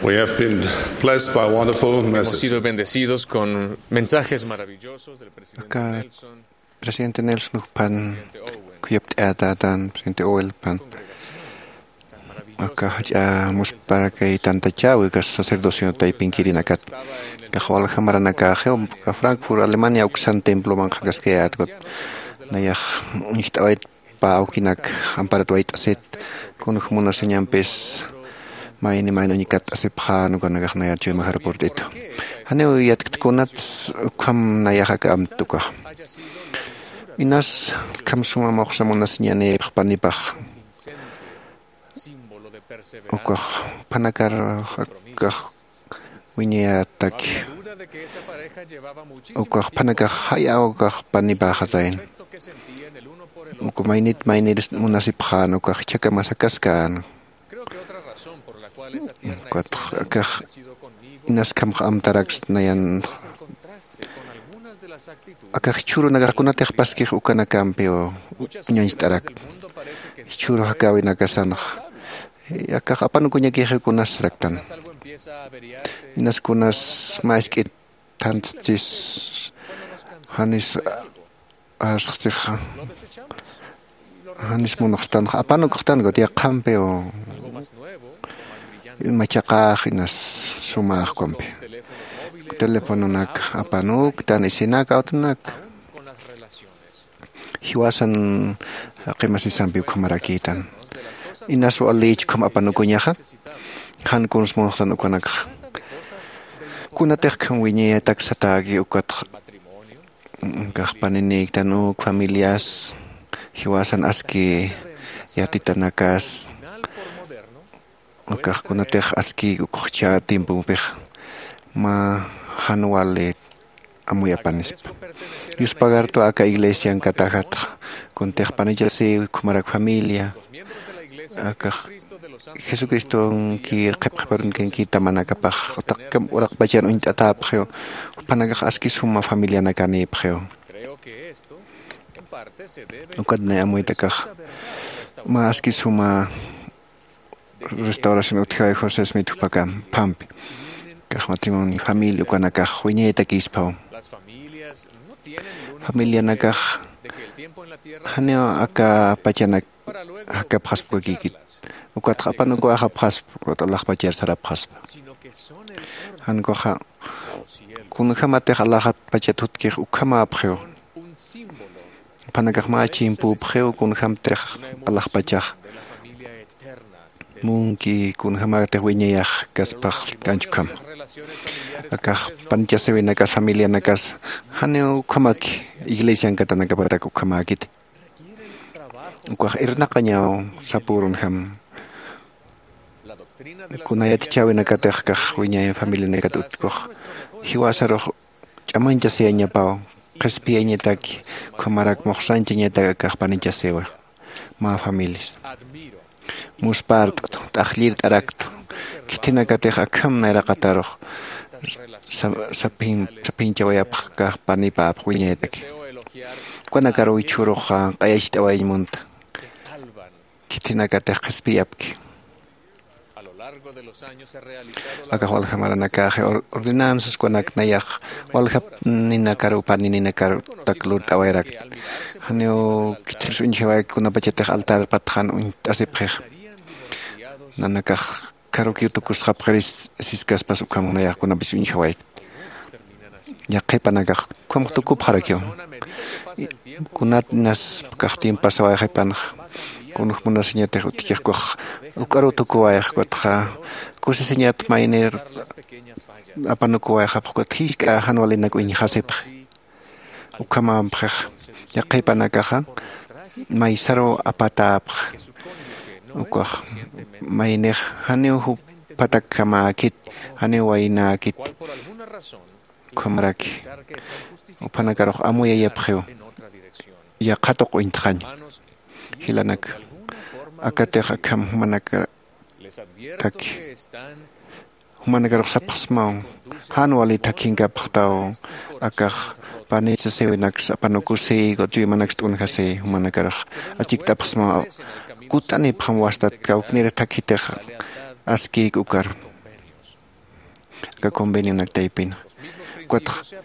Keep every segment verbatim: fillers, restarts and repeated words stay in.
We have been blessed by wonderful messages. Hemos sido bendecidos con mensajes maravillosos del presidente Nelson, presidente Nelson juphan kuyapt'ayatatan presidente Owel pan aka jach'a musparakay tantachäwi aka sacerdocio taypinkirinakat. Kax walja maranakaxiw aka Frankfurt Alemania uksan temploman qhakaskayätkut nayax uñjt'awayt pä awkinak amparat wayt'asit kunjämunasiñampis mayni mayni uñkat'asipxän ukanakax nayar chuymajar purt'itu. Janiw yatkta kunats ukham nayax aka amtukax inas kham suma muxsamunasiñanïpx panipax ukax phanakar akax wiñayataki ukax phanakax jaya ukax panipaxatayn uka maynit maynir munasipxän ukax chhakama sakaskän ukatx akax inaskamx amtaraks nayan akax jichhürunakax kunatix paskix ukanakampiw uñañcht'arak jichhüru jakäwinakasanx akax apanukuñakixiw kunas saraktan inas kunas mä isk'it thantsis janis arsxtsixa janis munxtanxa apanukuxtanxa yaqhampiw machaqax inas sumax ukampi telefononak apanuktan isinak awtunak jiwasan qimasisampi ukhamarakïtan inas walichkham apanukuñaxa jan kunsmunxtan ukanakxa kunatixkham wiñayataksataki ukatxa kaxpaninïktan uk familias jiwasan aski yatitanakas ukax kunatix aski ukxcha tiempompix mä jan wali amuyapanispa yuspagartu aka iglesian katajatxa kuntix panichasiw ukhamarak familia akax jesucristonkir qhipqhiparunkankir tamanakapax taqkam uraqpachan uñt'atäpxiw jupanakax aski suma familianakanïpxiw ukat nay amuytakax mä aski suma restauración utjawi josé smith jupakam phampi kax matrimonio familia ukanakax wiñaytakïspaw familianakax janiw aka pachanak jakapxaspkakïkit ukatxa apanukuwayxapxaspa ukat alaxpachar sarapxaspa jan ukaxa kunjämatix alaxat pachat jutkix ukhamäpxiw phanakax mä chimpüpxiw kunjämtix alaxpachax munki kunjämätix wiñayax kaspax kanchkham akax panichasiwinakas familianakas janiw ukhamaki iglesiankatanakapatak ukhamäkiti ukax irnaqañaw sapürunjam kuna yatichäwinakatix kax wiñay familianakat utkux jiwasarux ch'amañchasiyañapaw qhispiyañataki ukhamarak muxsanchañatak akax panichasiwa mä familias muspart'tu t'aqllirt'araktu khithinakatix akham nayraqatarux saphinchawayapx kax panipäpx wiñayataki ukanakaruw jichhüruxa q'ayacht'awayañ munta khithinakatix qhispiyapki akax walja maranakaxi ordenanzas kunak nayax waljaninakaru panininakartak lurt'awayrakta janiw khithiris uñjawayki kunapachatix altar patxan uñt'asipxix nanakax karukiw tukusxapxiris siskaspas ukham nayax kunapis uñjawayki yaqhipanakax ukhamax tukupxarakiw kunat inas kaxtin pasawayxipanxa kunjmunasiñatix utjkixkuxa uk'aruw tukuwayxkutxa kusisiñat maynir apanukuwayxapxkut jisk'a jan walinak uñjasipxi ukhamampxix yaqhipanakaxa maysaruw apatäpxi ukax maynix janiw juphatakjamäkit janiw waynäkit ukhamaraki uphanakarux amuyayapxiw yaqha tuq uñtxañ jilanak akatix akham jumanakataki jumanakarux sapxsmaw jan wali thakhinkapxtaw akax panichasiwinaks apanukusiy ukat chuymanaks t'unjasiy jumanakarux achikt'apxsmaw kut'anipxam wastat kawknir thakhitix askïk ukar aka convenionak taypin. Ukatxa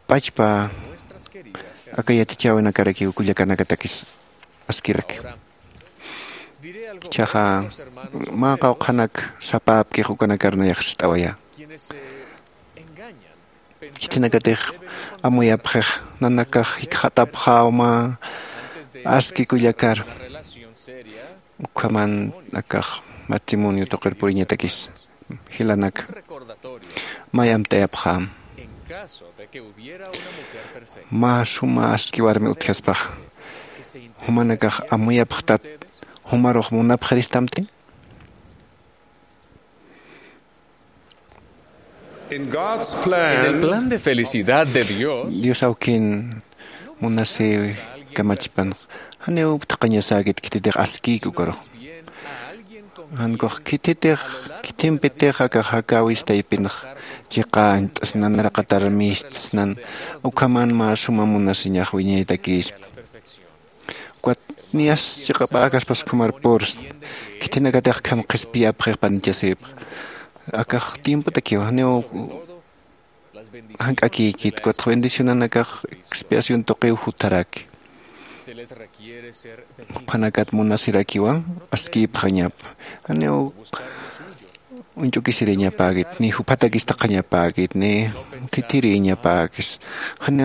pachpa aka yatichäwinakarakiw kullakanakatakis askiraki. Ichhaxa mä qawqhanak sapäpkix ukanakar nayax ist'awayä. Khitinakatix amuyapxix, nanakax jikxatapxäw mä aski kullakar, ukhaman akax matrimonio tuqir puriñatakis. Jilanaka, may amtayapxäm. Mä suma aski warmi utjaspaxa, jumanakax amuyapxtat jumarux munapxiristamti. En el plan de felicidad de Dios, Dios awkin munasiw kamachipan, janiw thaqañasäkit khititix askïki ukarux. Jankux khititix, khitimpitix akax jakäwis taypinx chiqañt'snan, nanaraqatar mistsnan, ukhaman mä suma munasiñax wiñaytakïspa. Ukat niyas chiqapäkaspas ukhumar pursna. Khitinakatix akham qhispiyapxix panichasïpx. Akax tiempotakiw, janiw jank'akïkit, ukatxa bendicionanakax expiación tuqiw jutharaki. Juphanakat munasirakiwa askïpxañapa. Janiw uñch'ukisiriñapäkit, ni juphatakis thaqhañapäkit, ni thithiriñapäkis, jan,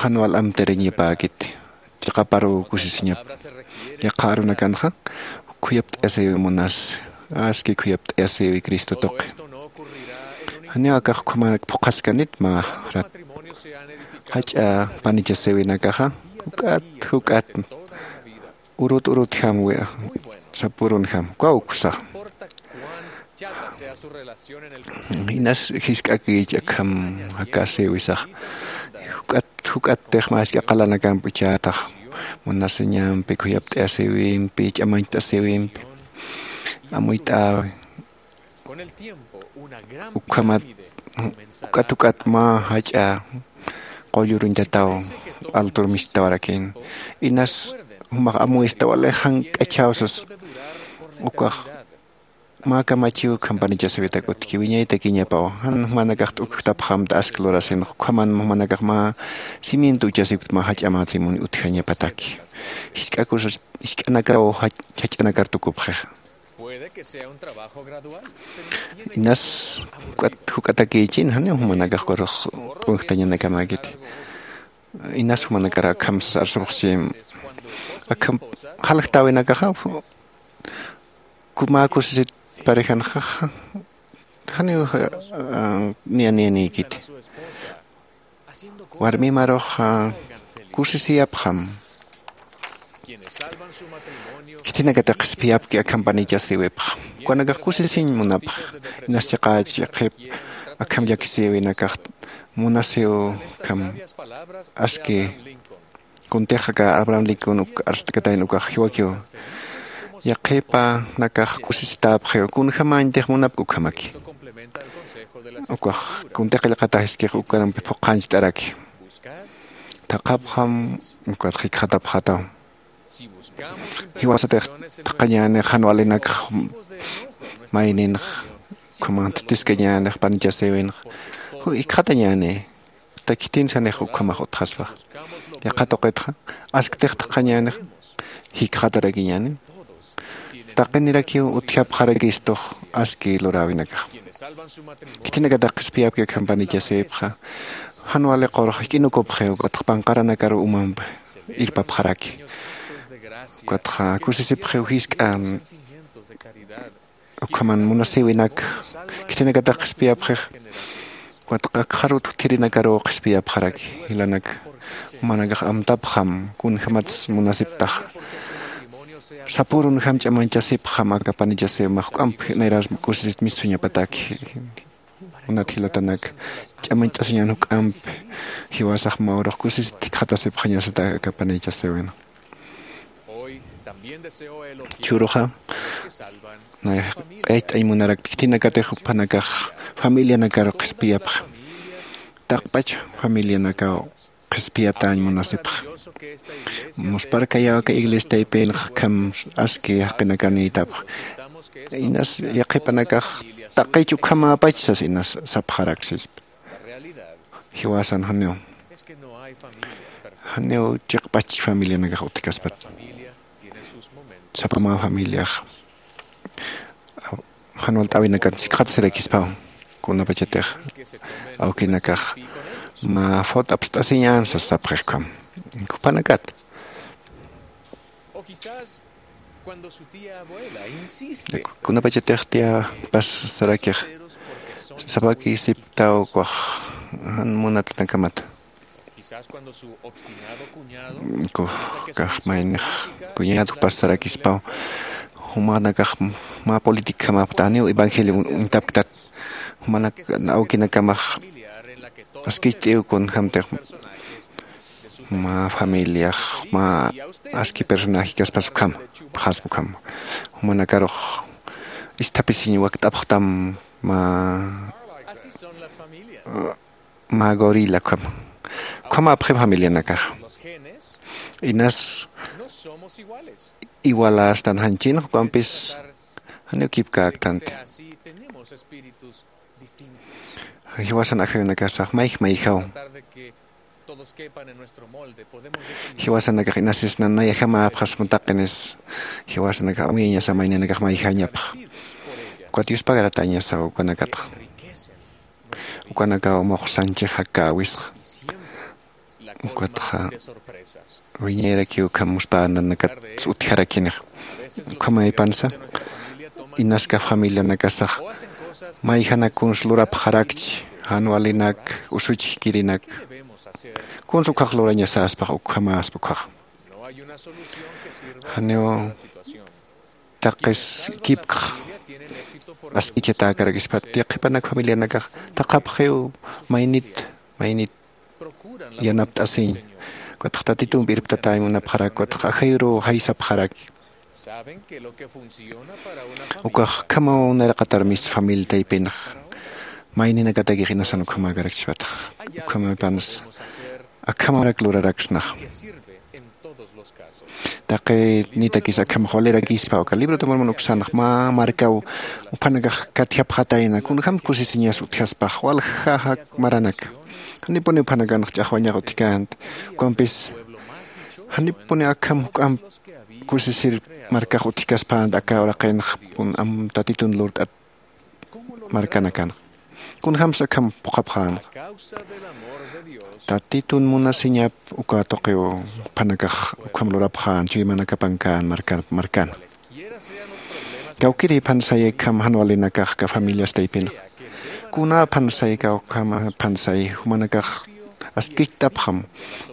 jan wal amtiriñapäkit, chiqaparuw kusisiñapa. Yaqha arunakanxa khuyapt'ayasïwi munasi, aski khuyapt'ayasïwi Cristo tuqi. Janiw akax ukhamänak phuqhaskanit mä rat. Jach'a panichasïwinakaxa juk'at, juk'at urut urutjam, sapürunjam, ukaw uksax. Inas jisk'akïchi akham jakäsïwisax. Juk'at, juk'attix mä jisk'a qalanakamp ichätax. Munasiñampi, khuyapt'ayasïwimpi, ch'amañcht'asïwimpi amuyt'äwi. Ukhamat, uk'at uk'at mä jach'a qulluruñtataw altur mistawarakïn. Inas jumax amuyista wali jank'achäw sas. Ukax mä kamachiw akham panichasïwitak utjki, wiñaytakiñapaw. Jan jumanakax t'ukjtapxamta aski lurasinx, ukhaman jumanakax mä cimiento uchasipkta mä jach'a matrimonio utjañapataki. Jisk'a cosas, jisk'anakaw jach-, jach'anakar tukupxixa. Inas juk'at, juk'atakïchin, janiw jumanakax ukarux p'unjtañanakamäkiti. Inas jumanakar akham sas arsupxchi, akham jaljtäwinakaxa, mä kusisit parejanxa, janiw, ah, niyanïnïkiti. Warmimarux, ah, kusisiyapxam. Khitinakatix qhispiyapki akham panichasïwipxa. Ukanakax kusisiñ munapxa. Inas chiqächi yaqhip akham llakisïwinakax munasiw akham aski kuntix aka Abraham Lincoln uk arst'katayn ukax jiwakiw. Yaqhipanakax kusisitäpxiw, kunjämañtix munapki ukhamaki. Ukax kuntix qillqatax jiskix ukarampi phuqhañcht'araki. Thaqhapxam, ukat jikxatapxataw. Jiwasatix thaqhañänix jan walinakx mayninx, ukhaman thithiskañänix panichasïwinx, jikxatañäni. Khitinsanix ukhamax utjaspax. Yaqha tuqitxa, asktix thaqhañänix, jikxatarakiñäni. Taqinirakiw utjapxarakistux aski luräwinakax. Khitinakatix qhispiyapki akham panichasïpxa, jan wali qurux jik'inukupxiw, ukatxa panqaranakar umamp irpapxaraki. Ukatxa kusisipxiw jisk'a ukhaman munasïwinak, khitinakatix qhispiyapxix, ukatxa akxarut utjirinakaruw qhispiyapxaraki, jilanak, jumanakax amtapxam, kunjämats munasiptax. Sapürunjam ch'amañchasipxam aka panichasïwimax, juk'amp nayrar kusisit mistsuñapataki. Kunat jilatanak, ch'amañcht'asiñän juk'amp, jiwasax mä urux kusisit jikxatasipxañasata aka panichasïwin. Churuxa, nay, q'ayt'añ munarak khitinakatix juphanakax familianakaru qhispiyapxa. Taqpach familianakaw qhispiyatäñ munasipxa. Muspharkayaw aka iglesia taypinx akham aski jaqinakanïtapxa. Inas yaqhipanakax taqich ukhamäpach sas inas sapxarak sispa. Jiwasan janiw janiw chiqpach familianakax utjkaspat. Sapa mä familiax jan walt'äwinakat sikxatasirakispam. Kunapachatix awkinakax mä fawt apst'asiñän sas sapxixkam. Jupanakat kunapachatix tiyapas sarakix sapakïsiptaw ukax jan munatanakamata. Ukax kax maynix kuñädupas sarakispaw jumanakax mä políticjamapta janiw evangelio uñtapktat. Jumanak awkinakamax askicht'iw kunjämtix mä familiax mä aski personajekaspas ukham pxaspa ukham jumanakarux isthapisiñ wakt'apxtam mä mä gorila ukham ukhamäpxi familianakax inas igualästan janchin juk'ampis janiw kipkäktanti. Jiwasan ajayunakasax mayj mayjaw jiwasanakax inasisnan nayajamäpxasma taqinis jiwasanakax amuyäñasa mayninakax mayjañapx. Ukat yuspagaratañasa ukanakatxa ukanakaw muxsanchix jakäwisxa. Ukatxa wiñayrakiw ukham muspänanakat utjarakinixa. Ukhamäpansa inaskax familianakasax mayjanak kuns lurapxarakchi jan walinak usuchjkirinak kuns ukhax lurañasäspax ukhamäspa ukhax janiw taqis kipkx ask'ichatäkarakispat. Yaqhipanak familianakax taqhapxiw maynit maynit yanapt'asiñ. Ukatx tatitumpi irptatäñ munapxarak ukatx ajayuruw jaysapxarak. Ukax ukhamaw nayraqatar mist familia taypinx mayninakatakix inasan ukhamäkarakchispatax ukhamapans akhamarak luraraksnax. Taqi nitakis akham jwalirakispa uka libro de mormon uksanx mä markaw uphanakax katjapxatayna kunjämt kusisiñas utjaspax walja jak maranaka. Janipuni uphanakanx ch'axwañax utjkänti ukampis janipuni akham juk'amp kusisir markax utjkaspänti aka uraqinx kun am tatitun lurt'at markanakanxa. Kunjämsa akham phuqhapxänxa tatitun munasiñap uka tuqiw juphanakax ukham lurapxän chuymanakapankän markana. Kawkïri juphan sayi akham jan walinakax aka familias taypinxa kunäphan sayi kawkham juphan sayi jumanakax askicht'apxam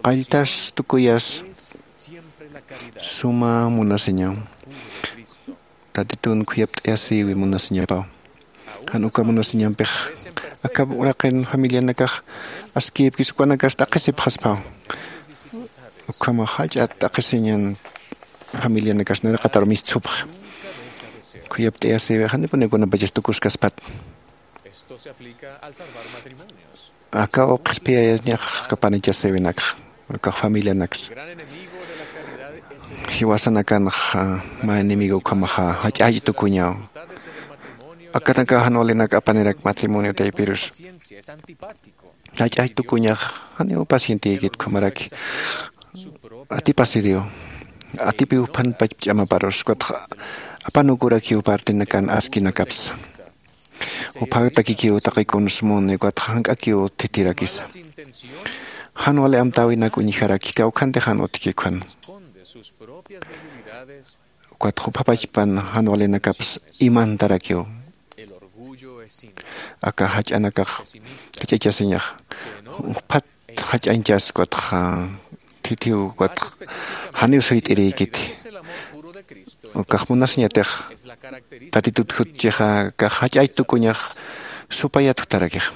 qalltas tukuyas suma munasiñaw tatitun khuyapt'ayasïwi munasiñapaw. Jan uka munasiñampix aka uraqin familianakax askïpkis ukanakas t'aqhisipxaspaw. Ukhamax jach'a t'aqhisiñan familianakas nayraqatar mistsupxi khuyapt'ayasïwi janipuni kunapachas tukuskaspat. Akaw qhispiyayañax kapanichasïwinakxa ukax familianaksa jiwasanakanxa mä enemigo ukhamaxa jach'ach tukuñaw. Akanakaw jan walinak apanirak matrimonio taypirus jach'ach tukuñax janiw pacientiyikit ukhamaraki atipasiriw atipiw juphanpach ch'amaparus ukatxa apanukurakiw partinakan askinakapsa. Juphatakïkiw taqi kuns muni ukatxa jank'akiw thithirakisa. Jan wali amtäwinak uñjaraki kawkhanti jan utjki ukhana ukatxa juphapachpan jan walinakaps imantarakiw. Aka jach'anakax jach'achasiñaxa juphat jach'añchas ukatxa thithiw ukatxa janiw suyt'irïkiti. Ukax munasiñatix tatitut jutchixa akax jach'ach tukuñax supayat jutarakixa.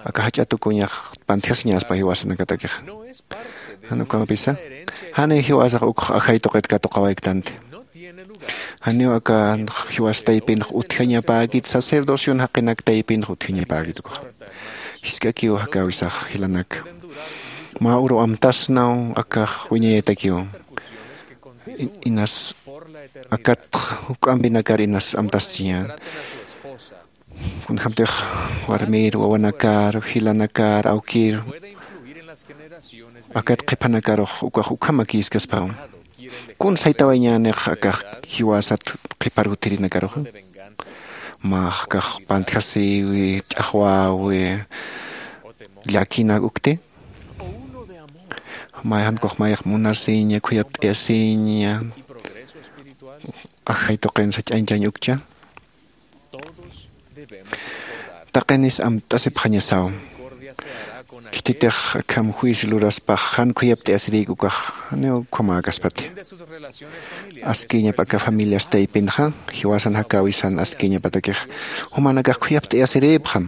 Aka jach'a tukuñax pantjasiñaspa jiwasanakatakixa. Jan ukampisa janiw jiwasax ukx ajay tuqit katuqawayktanti. Janiw aka jiwas taypinx utjañapäkit sacerdocion jaqinak taypinx utjañapäkit ukaxa. Jisk'akiw jakäwisax jilanaka mä uru amtasnaw akax wiñayatakiw. Inas akatx juk'ampinakar inas amtaschiñän. Kunjämtix warmir wawanakar jilanakar awkir akat qhiphanakarux ukax ukhamakïskaspaw. Kun saytawayñänix akax jiwasat qhiphar utjirinakaruxa? Mä akax pantjasiwi, ch'axwäwi, llakinak ukti? Mayjan ukax mayjax munasiña, khuyapt'ayasiña ajay tuqin sach'añchañ ukcha? Taqinis amt'asipxañasaw. Khititix akham juicio luraspax jan khuyapt'ayasirïk ukax janiw ukhamäkaspati. Askiñap aka familias taypinxa jiwasan jakäwisan askiñapatakix jumanakax khuyapt'ayasirïpxam.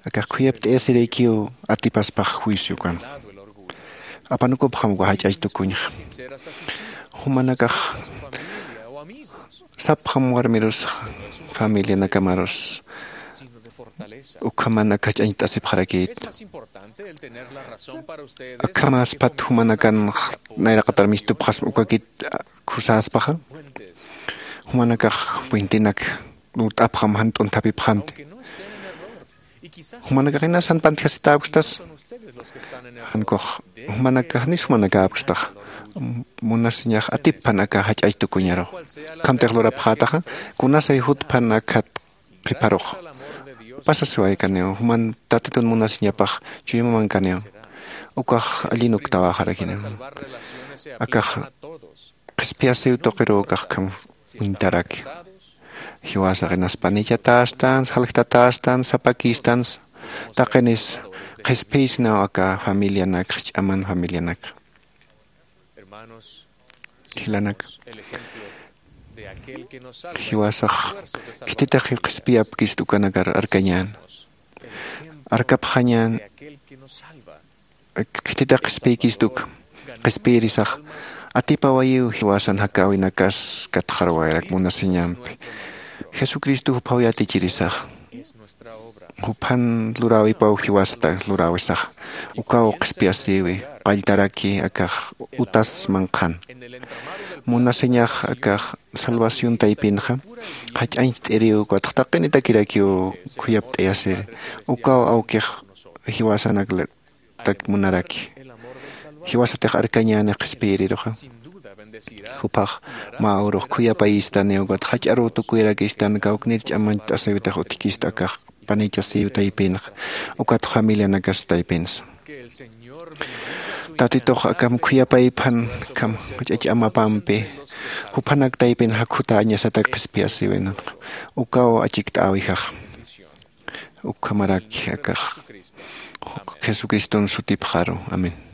Akax khuyapt'ayasirïkiw atipaspax juicio ukan. Apanukupxam uka jach'ach tukuñxa. Jumanakax sapxam warmirus familianakamärus ukhaman aka jach'añcht'asipxarakït. Akhamäspat jumanakan nayraqatar mistupxasma ukakit khusäspaxa. Jumanakax puentinak lurt'apxam jan t'unthapipxamti. Jumanakax inas jan pantjasitäkustas. Jan ukax jumanakax nis jumanakäpkstax. Munasiñax atippan aka jach'ach tukuñarux. Ukhamtix lurapxätaxa kunasay jutpan akhat qhiparux. Pasasiwaykaniw juman tatitun munasiñapax chuymamankaniw. Ukax allin uktawäxarakiniw. Akax qhispiyasiw tuqiruw akax akham uñtaraki. Jiwasax inas panichatästans, jaljtatästans, sapakïstans. Taqinis qhispiyisnaw aka familianak, jich'aman familianak. Jilanak, jiwasax khititix qhispiyapkist ukanakar arkañän. Arkapxañän. Khititix qhispiykist uk qhispiyirisax atipawayiw jiwasan jakäwinakas katxarwayarak munasiñampi. Jesucristo juphaw yatichirisax juphan luräwipaw jiwasata luräwisax. Ukaw qhispiyasïwi qalltaraki akax utas manqhan. Munasiñax akax salvación taypinxa jach'añcht'iriw ukatx taqinitakirakiw khuyapt'ayasiri. Ukaw awkix jiwasanak munaraki. Jiwasatix arkañäni qhispiyiriruxa. Jupax mä urux khuyapayistaniw ukat jach'aruw tukuyarakistan kawknir ch'amañcht'asiwitix utjkist akax panichasiw taypinxa. Ukat familianakas taypinsa. Tatitux akham khuyapayphan akham jach'ach amapampi juphanak taypin jakhutäñasatak qhispiyasiwinanxa. Ukaw achikt'äwijaxa. Ukhamaraki akax jesucriston sutipxaru. Amén.